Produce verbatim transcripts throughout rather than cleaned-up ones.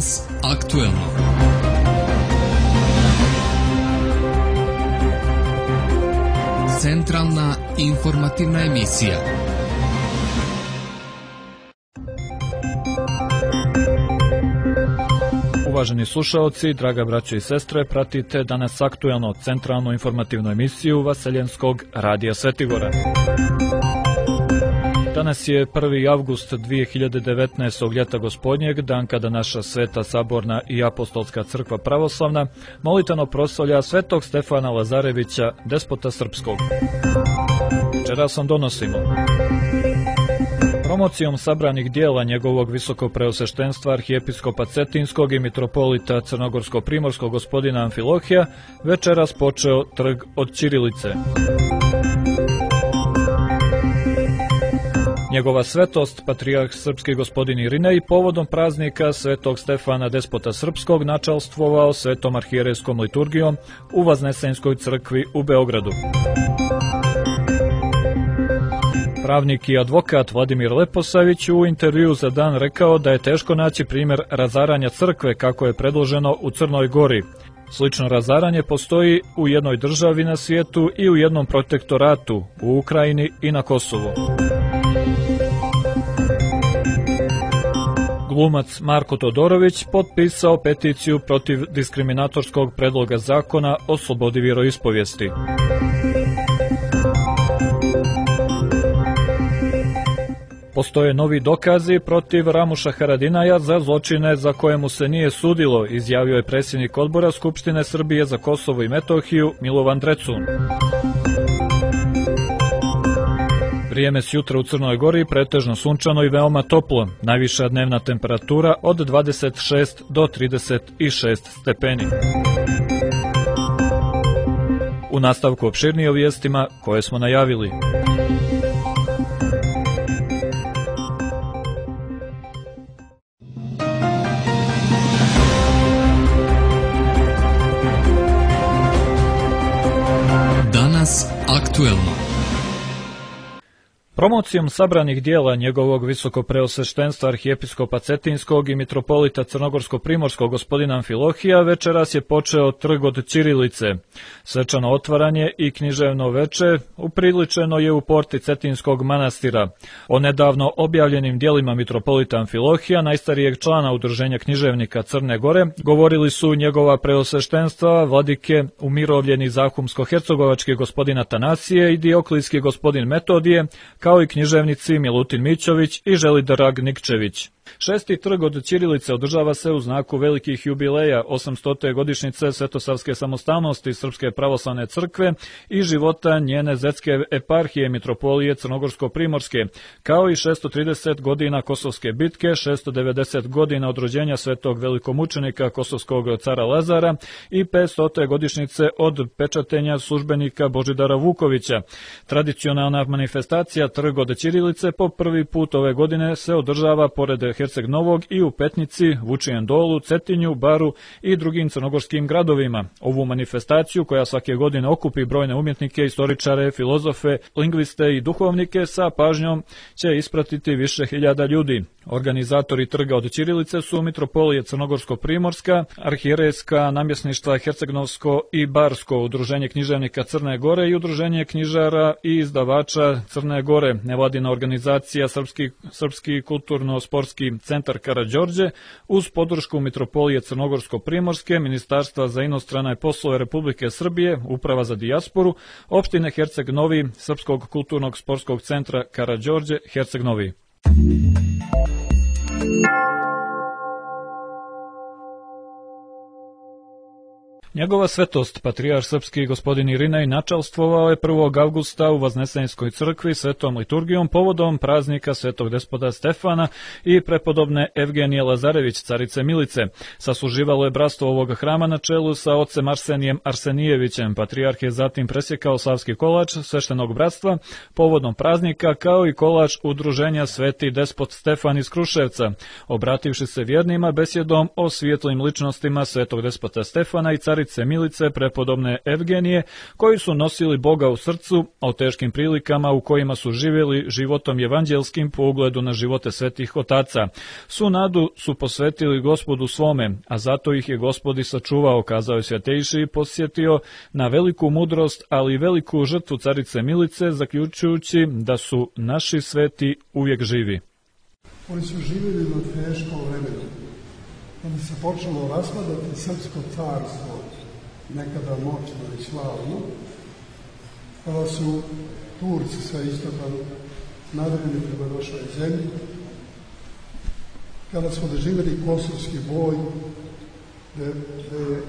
Danas aktuelno. Centralna informativna emisija. Uvaženi slušaoci, draga braćo i sestre, pratite Danas aktuelno, centralnu informativnu emisiju Vaseljenskog radija Svetigora. Danas je prvi avgust dvije hiljade devetnaestog. ljeta gospodnjeg, dan kada naša Sveta Saborna i Apostolska crkva pravoslavna molitano proslavlja svetog Stefana Lazarevića, despota srpskog. Večeras vam donosimo promocijom sabranih dijela njegovog visokopreosveštenstva arhijepiskopa Cetinskog i mitropolita crnogorsko-primorskog gospodina Amfilohija večeras počeo trg od ćirilice. Njegova svetost, patrijarh srpski gospodin Irinej, povodom praznika svetog Stefana despota srpskog načalstvovao svetom arhijerejskom liturgijom u Vaznesenskoj crkvi u Beogradu. Pravnik i advokat Vladimir Leposavić u intervjuu za Dan rekao da je teško naći primjer razaranja crkve kako je predloženo u Crnoj Gori. Slično razaranje postoji u jednoj državi na svijetu i u jednom protektoratu, u Ukrajini i na Kosovu. Glumac Marko Todorović potpisao peticiju protiv diskriminatorskog predloga zakona o slobodi vjeroispovijesti. Postoje novi dokazi protiv Ramuša Haradinaja za zločine za koje mu se nije sudilo, izjavio je predsjednik odbora Skupštine Srbije za Kosovo i Metohiju Milovan Drecun. Vrijeme s jutra u Crnoj Gori pretežno sunčano i veoma toplo, najviša dnevna temperatura od dvadeset šest do trideset šest stepeni. U nastavku opširnije o vijestima koje smo najavili. Danas aktuelno. Promocijom sabranih dijela njegovog visokopreosveštenstva arhijepiskopa Cetinskog i mitropolita crnogorsko-primorskog gospodina Amfilohija večeras je počeo trg od ćirilice. Svečano otvaranje i književno veče upriličeno je u porti Cetinskog manastira. O nedavno objavljenim dijelima mitropolita Amfilohija, najstarijeg člana Udruženja književnika Crne Gore, govorili su njegova preosveštenstva, vladike umirovljeni zahumsko-hercegovački gospodin Atanasije i dioklijski gospodin Metodije, kao i književnici Milutin Mićović i Želidrag Nikčević. Šesti trg od ćirilice održava se u znaku velikih jubileja osamstote godišnjice Svetosavske samostalnosti Srpske pravoslavne crkve i života njene zetske eparhije mitropolije Crnogorsko-primorske, kao i šesto trideset godina Kosovske bitke, šesto devedeset godina od rođenja svetog velikomučenika kosovskog cara Lazara i petstote godišnjice od pečatenja službenika Božidara Vukovića. Tradicionalna manifestacija trg od ćirilice po prvi put ove godine se održava pored Herceg Novog i u Petnici, Vučijem Dolu, Cetinju, Baru i drugim crnogorskim gradovima. Ovu manifestaciju, koja svake godine okupi brojne umjetnike, istoričare, filozofe, lingviste i duhovnike, sa pažnjom će ispratiti više hiljada ljudi. Organizatori trga od ćirilice su mitropolije Crnogorsko-primorska, arhijerejska namjesništva Hercegnovsko i Barsko, Udruženje književnika Crne Gore i Udruženje knjižara i izdavača Crne Gore, nevladina organizacija Srpski, Srpski kulturno-sportski centar Karađorđe, uz podršku mitropolije Crnogorsko-primorske, Ministarstva za inostrane poslove Republike Srbije, Uprava za dijasporu, opštine Herceg Novi, Srpskog kulturnog sportskog centra Karađorđe, Herceg Novi. Njegova svetost, patrijarh srpski gospodin Irinej, načalstvovao je prvog avgusta u Vaznesenskoj crkvi svetom liturgijom povodom praznika svetog despota Stefana i prepodobne Evgenije Lazarević, carice Milice. Sasluživalo je bratstvo ovog hrama na čelu sa ocem Arsenijem Arsenijevićem. Patrijarh je zatim presjekao slavski kolač sveštenog bratstva povodom praznika, kao i kolač udruženja Sveti despot Stefan iz Kruševca, obrativši se vjernima besjedom o svijetlim ličnostima svetog despota Stefana i carice carice Milice, prepodobne Evgenije, koji su nosili Boga u srcu, o teškim prilikama u kojima su živjeli životom evanđelskim po ugledu na živote svetih otaca. Svu nadu su posvetili Gospodu svome, a zato ih je Gospod i sačuvao, kazao je Svjatejši i posjetio na veliku mudrost, ali i veliku žrtvu carice Milice, zaključujući da su naši sveti uvijek živi. Oni su živjeli na teškom vremenu, kada se počelo raspadati srpsko carstvo, nekada moćno i slavno, kada su Turci sa istoka nadrili prema našoj zemlji, kada smo doživjeli kosovski boj, gdje je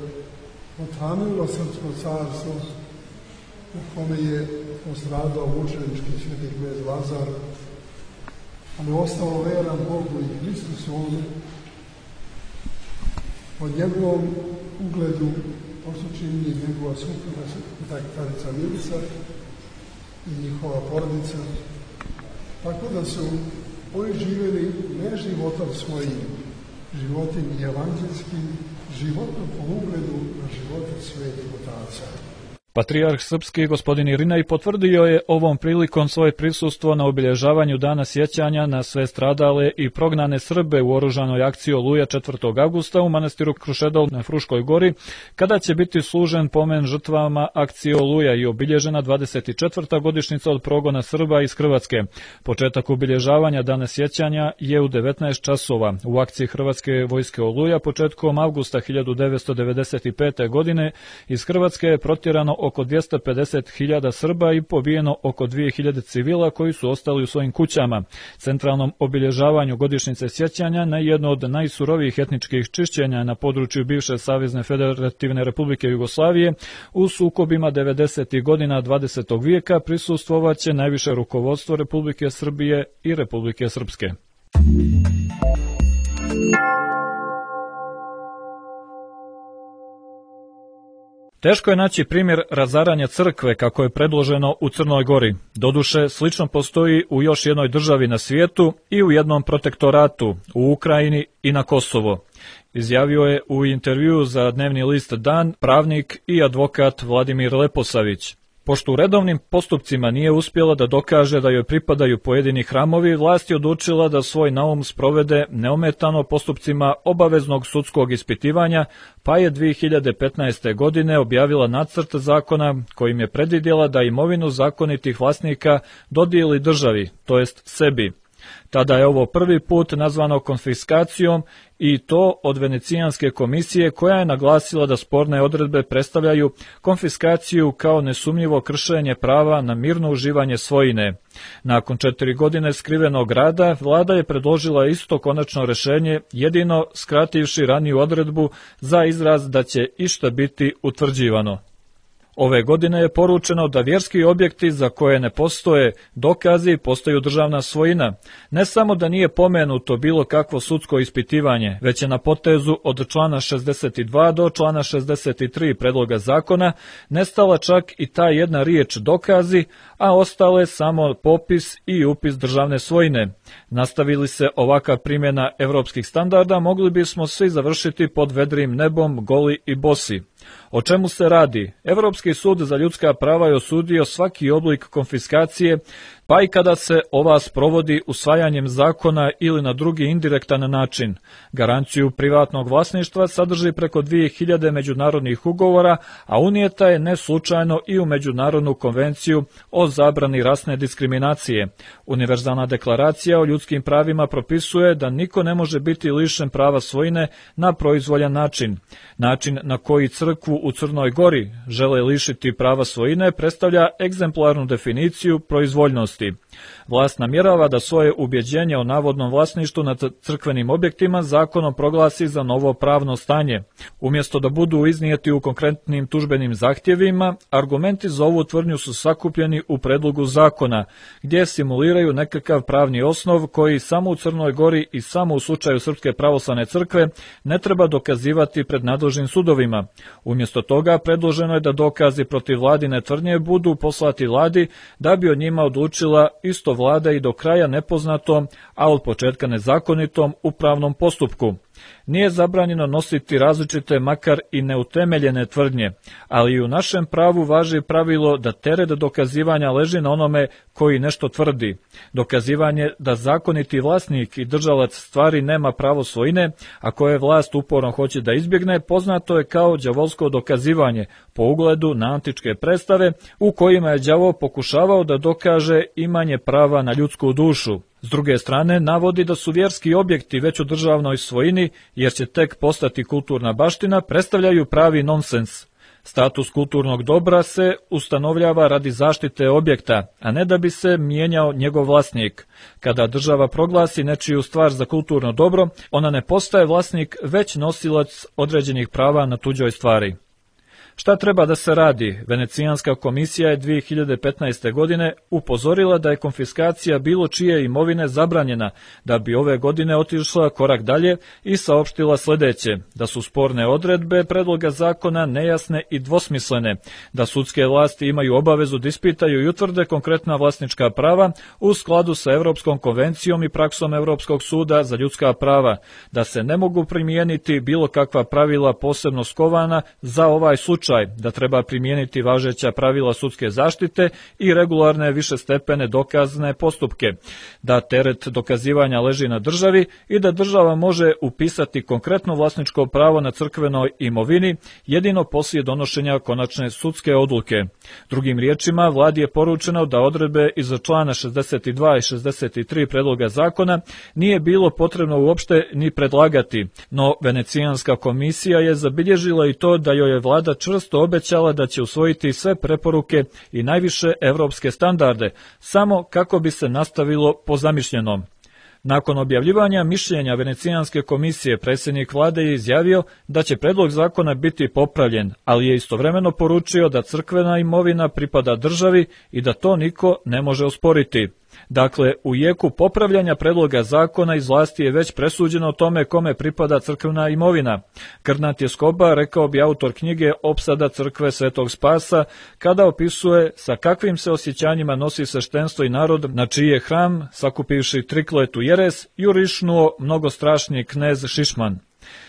otranilo srpsko carstvo, na kome je postradao mučenički sveti knez Lazar, ali ostao veran Bogu i Hristusu ovdje. Po njegovom ugledu posučinji njegova supruga, carica Milica i njihova porodica, tako da su oni živjeli ne životom svojim, životim evanđelskim, životom po ugledu na živote svetih otaca. Patrijarh srpski gospodin Irinej potvrdio je ovom prilikom svoje prisustvo na obilježavanju dana sjećanja na sve stradale i prognane Srbe u oružanoj akciji Oluja četvrtog avgusta u manastiru Krušedol na Fruškoj gori, kada će biti služen pomen žrtvama akcije Oluja i obilježena dvadeset četvrta godišnjica od progona Srba iz Hrvatske. Početak obilježavanja dana sjećanja je u devetnaest časova. U akciji Hrvatske vojske Oluja početkom avgusta hiljadu devetsto devedeset pete. godine iz Hrvatske je protjerano oko dvjesto pedeset hiljada Srba i pobijeno oko dvije hiljade civila koji su ostali u svojim kućama. Centralnom obilježavanju godišnjice sjećanja na jedno od najsurovijih etničkih čišćenja na području bivše Savezne Federativne Republike Jugoslavije u sukobima devedesetih godina dvadesetog vijeka prisustvovaće najviše rukovodstvo Republike Srbije i Republike Srpske. Teško je naći primjer razaranja crkve kako je predloženo u Crnoj Gori. Doduše, slično postoji u još jednoj državi na svijetu i u jednom protektoratu, u Ukrajini i na Kosovo. Izjavio je u intervjuu za dnevni list Dan pravnik i advokat Vladimir Leposavić. Pošto u redovnim postupcima nije uspjela da dokaže da joj pripadaju pojedini hramovi, vlast je odlučila da svoj naum sprovede neometano postupcima obaveznog sudskog ispitivanja, pa je dvije hiljade petnaeste. godine objavila nacrt zakona kojim je predvidjela da imovinu zakonitih vlasnika dodijeli državi, to jest sebi. Tada je ovo prvi put nazvano konfiskacijom i to od Venecijanske komisije koja je naglasila da sporne odredbe predstavljaju konfiskaciju kao nesumnjivo kršenje prava na mirno uživanje svojine. Nakon četiri godine skrivenog rada, vlada je predložila isto konačno rješenje, jedino skrativši raniju odredbu za izraz da će išta biti utvrđivano. Ove godine je poručeno da vjerski objekti za koje ne postoje dokazi postaju državna svojina. Ne samo da nije pomenuto bilo kakvo sudsko ispitivanje, već je na potezu od člana šezdeset dva do člana šezdeset tri predloga zakona nestala čak i ta jedna riječ dokazi, a ostale samo popis i upis državne svojine. Nastavili se ovakva primjena evropskih standarda, mogli bismo svi završiti pod vedrim nebom, goli i bosi. O čemu se radi? Evropski sud za ljudska prava je osudio svaki oblik konfiskacije, pa i kada se ova sprovodi usvajanjem zakona ili na drugi indirektan način. Garanciju privatnog vlasništva sadrži preko dvije hiljade međunarodnih ugovora, a unijeta je ne slučajno i u Međunarodnu konvenciju o zabrani rasne diskriminacije. Univerzalna deklaracija o ljudskim pravima propisuje da niko ne može biti lišen prava svojine na proizvoljan način. Način na koji crkvu u Crnoj Gori žele lišiti prava svojine predstavlja egzemplarnu definiciju proizvoljnosti. Vlast namjerava da svoje ubjeđenje o navodnom vlasništvu nad crkvenim objektima zakonom proglasi za novo pravno stanje. Umjesto da budu iznijeti u konkretnim tužbenim zahtjevima, argumenti za ovu tvrdnju su sakupljeni u predlogu zakona, gdje simuliraju nekakav pravni osnov koji samo u Crnoj Gori i samo u slučaju Srpske pravoslavne crkve ne treba dokazivati pred nadležnim sudovima. Umjesto toga predloženo je da dokazi protiv vladine tvrdnje budu poslati vladi da bi o njima odlučila isto vlada i do kraja nepoznatom, a od početka nezakonitom upravnom postupku. Nije zabranjeno nositi različite, makar i neutemeljene tvrdnje, ali i u našem pravu važi pravilo da teret dokazivanja leži na onome koji nešto tvrdi. Dokazivanje da zakoniti vlasnik i držalac stvari nema pravo svojine, a koje vlast uporno hoće da izbjegne, poznato je kao đavolsko dokazivanje, po ugledu na antičke predstave u kojima je đavo pokušavao da dokaže imanje prava na ljudsku dušu. S druge strane, navodi da su vjerski objekti već u državnoj svojini, jer će tek postati kulturna baština, predstavljaju pravi nonsens. Status kulturnog dobra se ustanovljava radi zaštite objekta, a ne da bi se mijenjao njegov vlasnik. Kada država proglasi nečiju stvar za kulturno dobro, ona ne postaje vlasnik, već nosilac određenih prava na tuđoj stvari. Šta treba da se radi? Venecijanska komisija je dvije hiljade petnaeste. godine upozorila da je konfiskacija bilo čije imovine zabranjena, da bi ove godine otišla korak dalje i saopštila sledeće, da su sporne odredbe predloga zakona nejasne i dvosmislene, da sudske vlasti imaju obavezu da ispitaju i utvrde konkretna vlasnička prava u skladu sa Evropskom konvencijom i praksom Evropskog suda za ljudska prava, da se ne mogu primijeniti bilo kakva pravila posebno skovana za ovaj slučaj, da treba primijeniti važeća pravila sudske zaštite i regularne višestepene dokazne postupke, da teret dokazivanja leži na državi i da država može upisati konkretno vlasničko pravo na crkvenoj imovini jedino poslije donošenja konačne sudske odluke. Drugim riječima, vladi je poručeno da odredbe iz člana šezdeset dva i šezdeset tri predloga zakona nije bilo potrebno uopšte ni predlagati, no Venecijanska komisija je zabilježila i to da joj je vlada čvrsto obećala da će usvojiti sve preporuke i najviše evropske standarde, samo kako bi se nastavilo po zamišljenom. Nakon objavljivanja mišljenja Venecijanske komisije, predsjednik vlade je izjavio da će predlog zakona biti popravljen, ali je istovremeno poručio da crkvena imovina pripada državi i da to niko ne može osporiti. Dakle, u jeku popravljanja predloga zakona iz vlasti je već presuđeno o tome kome pripada crkvena imovina. Krnat je Skoba, rekao bi autor knjige Opsada crkve Svetog Spasa, kada opisuje sa kakvim se osjećanjima nosi sveštenstvo i narod na čiji je hram, sakupivši trikletu jeres, jurišnuo mnogostrašni knez Šišman.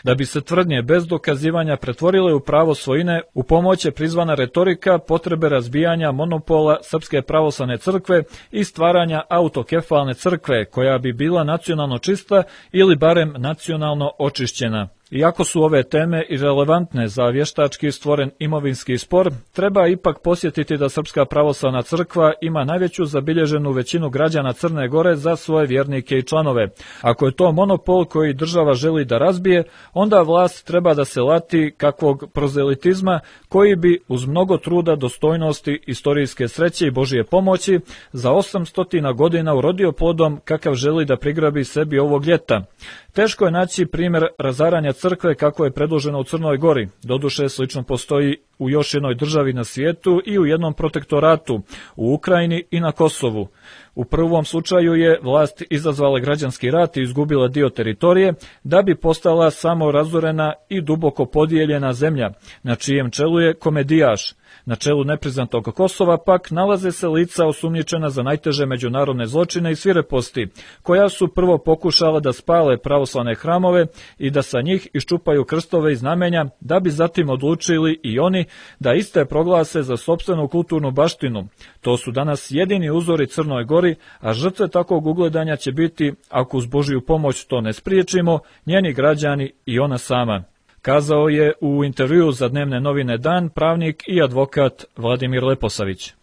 Da bi se tvrdnje bez dokazivanja pretvorile u pravo svojine, u pomoć je prizvana retorika potrebe razbijanja monopola Srpske pravoslavne crkve i stvaranja autokefalne crkve, koja bi bila nacionalno čista ili barem nacionalno očišćena. Iako su ove teme irelevantne za vještački stvoren imovinski spor, treba ipak posjetiti da Srpska pravoslavna crkva ima najveću zabilježenu većinu građana Crne Gore za svoje vjernike i članove. Ako je to monopol koji država želi da razbije, onda vlast treba da se lati kakvog prozelitizma koji bi uz mnogo truda, dostojnosti, istorijske sreće i Božije pomoći za osamstotina godina urodio plodom kakav želi da prigrabi sebi ovog ljeta. Teško je naći primjer razaranja crkve kako je predloženo u Crnoj Gori. Doduše, slično postoji u još jednoj državi na svijetu i u jednom protektoratu, u Ukrajini i na Kosovu. U prvom slučaju je vlast izazvala građanski rat i izgubila dio teritorije, da bi postala samo razorena i duboko podijeljena zemlja, na čijem čelu je komedijaš. Na čelu nepriznatog Kosova pak nalaze se lica osumnjičena za najteže međunarodne zločine i svireposti, koja su prvo pokušala da spale pravoslavne hramove i da sa njih iščupaju krstove i znamenja, da bi zatim odlučili i oni da iste proglase za sopstvenu kulturnu baštinu. To su danas jedini uzori Crnoj Gori, a žrtve takvog ugledanja će biti, ako uz Božiju pomoć to ne spriječimo, njeni građani i ona sama. Kazao je u intervjuu za dnevne novine Dan pravnik i advokat Vladimir Leposavić.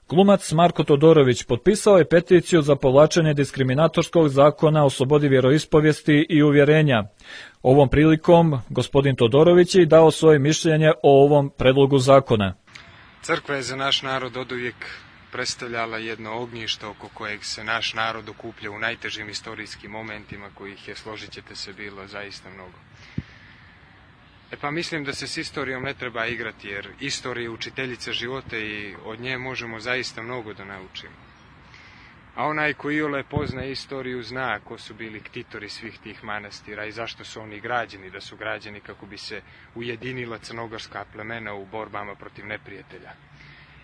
Glumac Marko Todorović potpisao je peticiju za povlačenje diskriminatorskog zakona o slobodi vjeroispovijesti i uvjerenja. Ovom prilikom gospodin Todorović je dao svoje mišljenje o ovom predlogu zakona. Crkva je za naš narod oduvijek predstavljala jedno ognjište oko kojeg se naš narod okuplja u najtežim istorijskim momentima, kojih je, složit ćete se, bilo zaista mnogo. E pa mislim da se s istorijom ne treba igrati, jer istorija je učiteljica života i od nje možemo zaista mnogo da naučimo. A onaj ko iole poznaje istoriju zna ko su bili ktitori svih tih manastira i zašto su oni građeni, da su građeni kako bi se ujedinila crnogorska plemena u borbama protiv neprijatelja.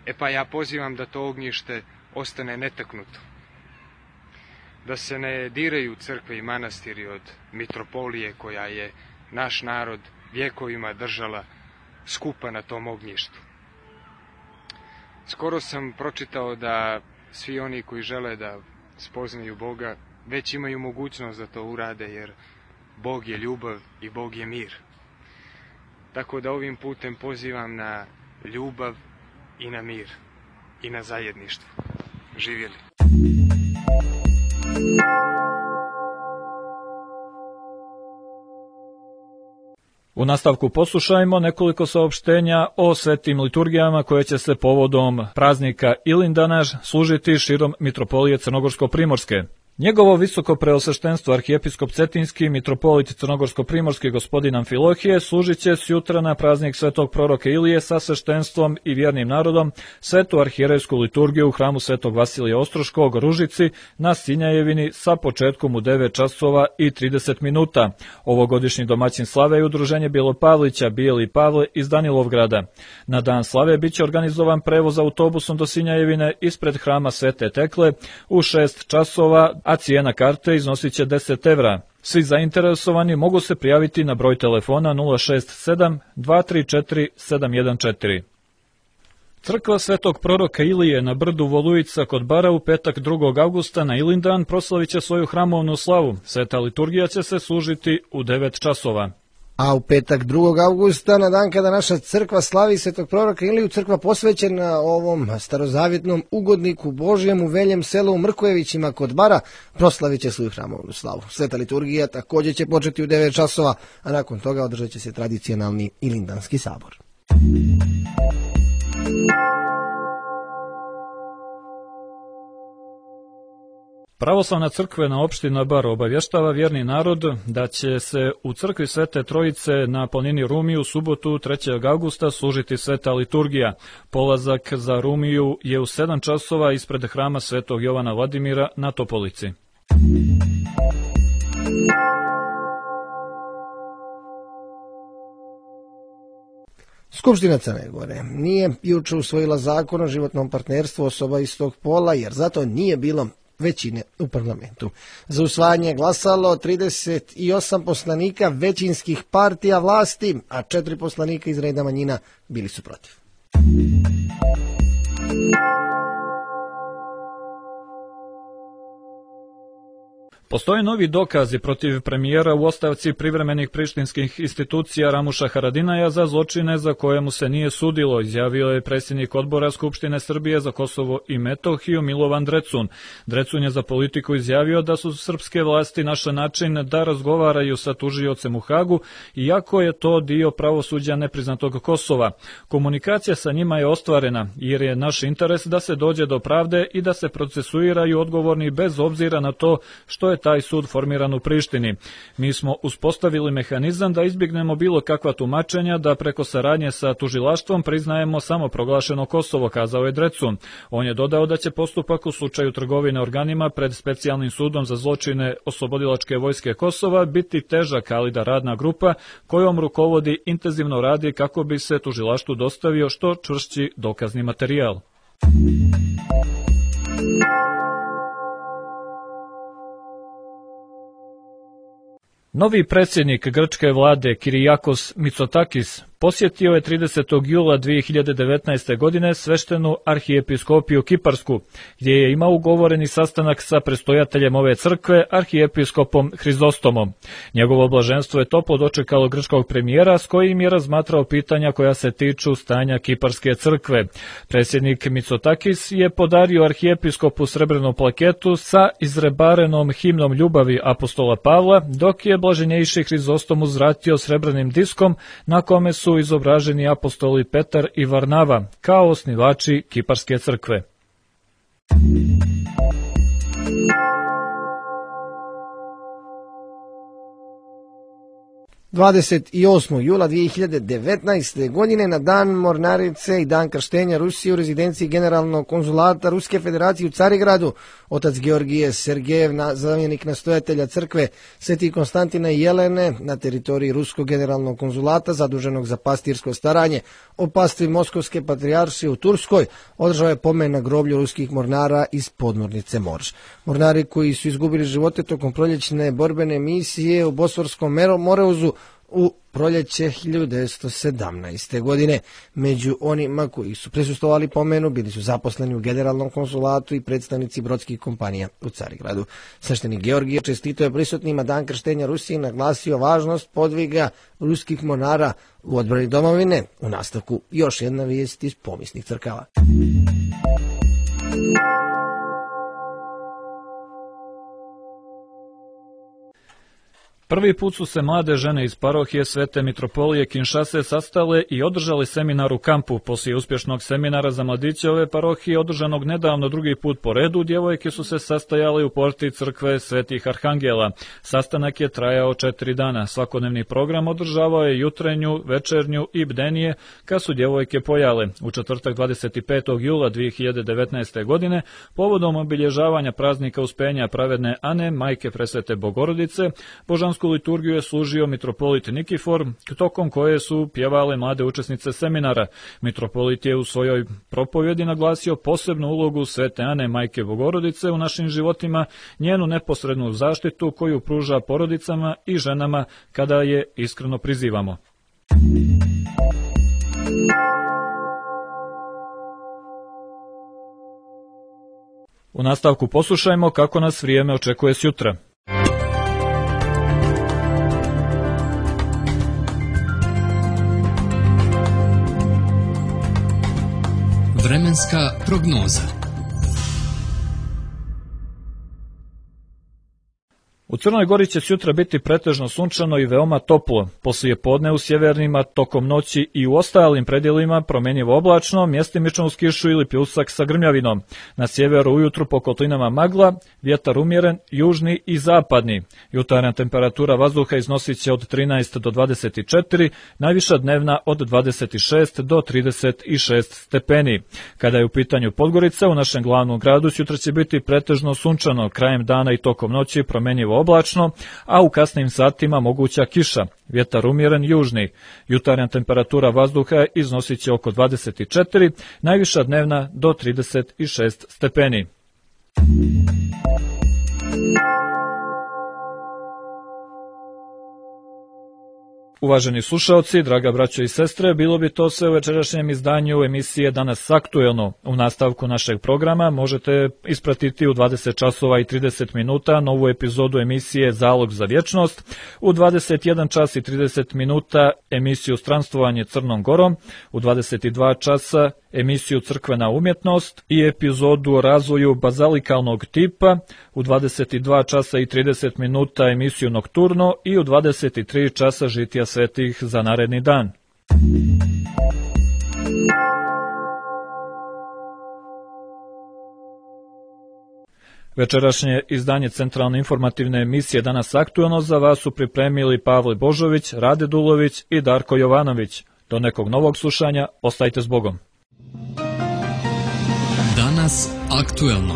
E pa ja pozivam da to ognjište ostane netaknuto. Da se ne diraju crkve i manastiri od mitropolije koja je naš narod vjekovima držala skupa na tom ognjištu. Skoro sam pročitao da svi oni koji žele da spoznaju Boga već imaju mogućnost da to urade, jer Bog je ljubav i Bog je mir. Tako da ovim putem pozivam na ljubav i na mir i na zajedništvo. Živjeli! U nastavku poslušajmo nekoliko saopštenja o svetim liturgijama koje će se povodom praznika Ilindanaš služiti širom mitropolije Crnogorsko-Primorske. Njegovo visoko preosveštenstvo arhijepiskop Cetinski, mitropolit Crnogorsko-Primorski gospodin Amfilohije, služit će sjutra na praznik svetog proroka Ilije sa sveštenstvom i vjernim narodom svetu arhijerejsku liturgiju u hramu svetog Vasilija Ostroškog Ružici na Sinjajevini sa početkom u devet časova i trideset minuta. Ovogodišnji domaćin slave je udruženje Bjelopavlića Bijeli Pavle iz Danilovgrada. Na dan slave biće organizovan prevoz autobusom do Sinjajevine ispred hrama Svete Tekle u šest časova, a cijena karte iznosit će deset evra. Svi zainteresovani mogu se prijaviti na broj telefona nula šest sedam dva tri četiri sedam jedan četiri. Crkva svetog proroka Ilije na brdu Volujica kod Bara u petak drugog avgusta na Ilindan proslavit će svoju hramovnu slavu. Sveta liturgija će se služiti u devet časova. A u petak drugog avgusta, na dan kada naša crkva slavi svetog proroka Iliju, crkva posvećena ovom starozavjetnom ugodniku Božjem u Veljem selu u Mrkojevićima kod Bara, proslavit će svoju hramovnu slavu. Sveta liturgija također će početi u devet časova, a nakon toga održat će se tradicionalni Ilindanski sabor. Pravoslavna crkvena opština Bar obavještava vjerni narod da će se u crkvi Svete Trojice na planini Rumiju u subotu trećeg avgusta služiti sveta liturgija. Polazak za Rumiju je u sedam časova ispred hrama Svetog Jovana Vladimira na Topolici. Skupština Crne Gore nije juče usvojila zakon o životnom partnerstvu osoba istog pola, jer zato nije bilo većine u parlamentu. Za usvajanje glasalo trideset osam poslanika većinskih partija vlasti, a četiri poslanika iz reda manjina bili su protiv. Postoje novi dokazi protiv premijera u ostavci privremenih prištinskih institucija Ramuša Haradinaja za zločine za koje mu se nije sudilo, izjavio je predsjednik odbora Skupštine Srbije za Kosovo i Metohiju Milovan Drecun. Drecun je za Politiku izjavio da su srpske vlasti našle način da razgovaraju sa tužiocem u Hagu, iako je to dio pravosuđa nepriznatog Kosova. Komunikacija sa njima je ostvarena, jer je naš interes da se dođe do pravde i da se procesuiraju odgovorni bez obzira na to što je taj sud formiran u Prištini. Mi smo uspostavili mehanizam da izbjegnemo bilo kakva tumačenja, da preko saradnje sa tužilaštvom priznajemo samo proglašeno Kosovo, kazao je Drecun. On je dodao da će postupak u slučaju trgovine organima pred specijalnim sudom za zločine Oslobodilačke vojske Kosova biti težak, ali da radna grupa kojom rukovodi intenzivno radi kako bi se tužilaštvu dostavio što čvršći dokazni materijal. Novi predsjednik grčke vlade Kirijakos Mitsotakis posjetio je tridesetog jula dvije hiljade devetnaeste. godine sveštenu arhijepiskopiju Kiparsku, gdje je imao ugovoreni sastanak sa prestojateljem ove crkve, arhijepiskopom Hrizostomom. Njegovo blaženstvo je toplo dočekalo grčkog premijera s kojim je razmatrao pitanja koja se tiču stanja Kiparske crkve. Predsjednik Mitsotakis je podario arhijepiskopu srebrnu plaketu sa izrebarenom himnom ljubavi apostola Pavla, dok je blaženjejši Hrizostom uzvratio srebrnim diskom na kome su izobraženi apostoli Petar i Varnava kao osnivači Kiparske crkve. dvadeset osmog jula dvije hiljade devetnaeste. godine na dan mornarice i dan krštenja Rusije u rezidenciji generalnog konzulata Ruske federacije u Carigradu, otac Georgije Sergejev, zamjenik nastojatelja crkve Sveti Konstantina i Jelene na teritoriji Ruskog generalnog konzulata zaduženog za pastirsko staranje o pastvi Moskovske patrijaršije u Turskoj, održao je pomen na groblju ruskih mornara iz podmornice Morž. Mornari koji su izgubili živote tokom proljećne borbene misije u Bosforskom Moreuzu u proljeće hiljadu devetsto sedamnaeste. godine. Među onima koji su prisustvovali pomenu bili su zaposleni u generalnom konsulatu i predstavnici brodskih kompanija u Carigradu. Sveštenik Georgije čestitao je prisutnima dan krštenja Rusije i naglasio važnost podviga ruskih mornara u odbrani domovine. U nastavku još jedna vijest iz pomisnih crkava. Prvi put su se mlade žene iz parohije Svete Mitropolije Kinšase sastale i održali seminar u kampu. Poslije uspješnog seminara za mladiće ove parohije, održanog nedavno drugi put po redu, djevojke su se sastajale u porti crkve Svetih Arhangela. Sastanak je trajao četiri dana. Svakodnevni program održavao je jutrenju, večernju i bdenije, kad su djevojke pojale. U četvrtak dvadeset petog jula dvije hiljade devetnaeste. godine, povodom obilježavanja praznika Uspenja pravedne Ane, majke presvete Bogorodice, božansku liturgiju je služio mitropolit Nikifor, tokom koje su pjevale mlade učesnice seminara. Mitropolit je u svojoj propovjedi naglasio posebnu ulogu Svete Ane, majke Bogorodice u našim životima, njenu neposrednu zaštitu koju pruža porodicama i ženama kada je iskreno prizivamo. U nastavku poslušajmo kako nas vrijeme očekuje sjutra. Vremenska prognoza. U Crnoj Gori će sutra biti pretežno sunčano i veoma toplo. Poslije podne u sjevernima, tokom noći i u ostalim predjelima promjenjivo oblačno, mjestimično uz kišu ili pljusak sa grmljavinom. Na sjeveru ujutru po kotlinama magla, vjetar umjeren, južni i zapadni. Jutarnja temperatura vazduha iznosit će od trinaest do dvadeset četiri, najviša dnevna od dvadeset šest do trideset šest stepeni. Kada je u pitanju Podgorica, u našem glavnom gradu sutra će biti pretežno sunčano, krajem dana i tokom noći promjenjivo oblačno, a u kasnim satima moguća kiša, vjetar umjeren južni. Jutarnja temperatura vazduha iznosit će oko dvadeset četiri, najviša dnevna do trideset šest stepeni. Uvaženi slušaoci, draga braćo i sestre, bilo bi to sve u večerašnjem izdanju emisije Danas aktuelno. U nastavku našeg programa možete ispratiti u dvadeset časova i trideset minuta novu epizodu emisije Zalog za vječnost, u dvadeset jedan čas i trideset minuta emisiju Stranstvovanje Crnom Gorom, u dvadeset dva časa emisiju Crkvena umjetnost i epizodu o razvoju bazalikalnog tipa, u dvadeset dva časa i trideset minuta emisiju Nokturno i u dvadeset tri časa Žitija svetih za naredni dan. Večerašnje izdanje centralne informativne emisije Danas aktuelno za vas su pripremili Pavle Božović, Rade Dulović i Darko Jovanović. Do nekog novog slušanja, ostajte s Bogom. Danas aktuelno.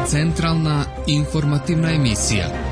Centralna informativna emisija.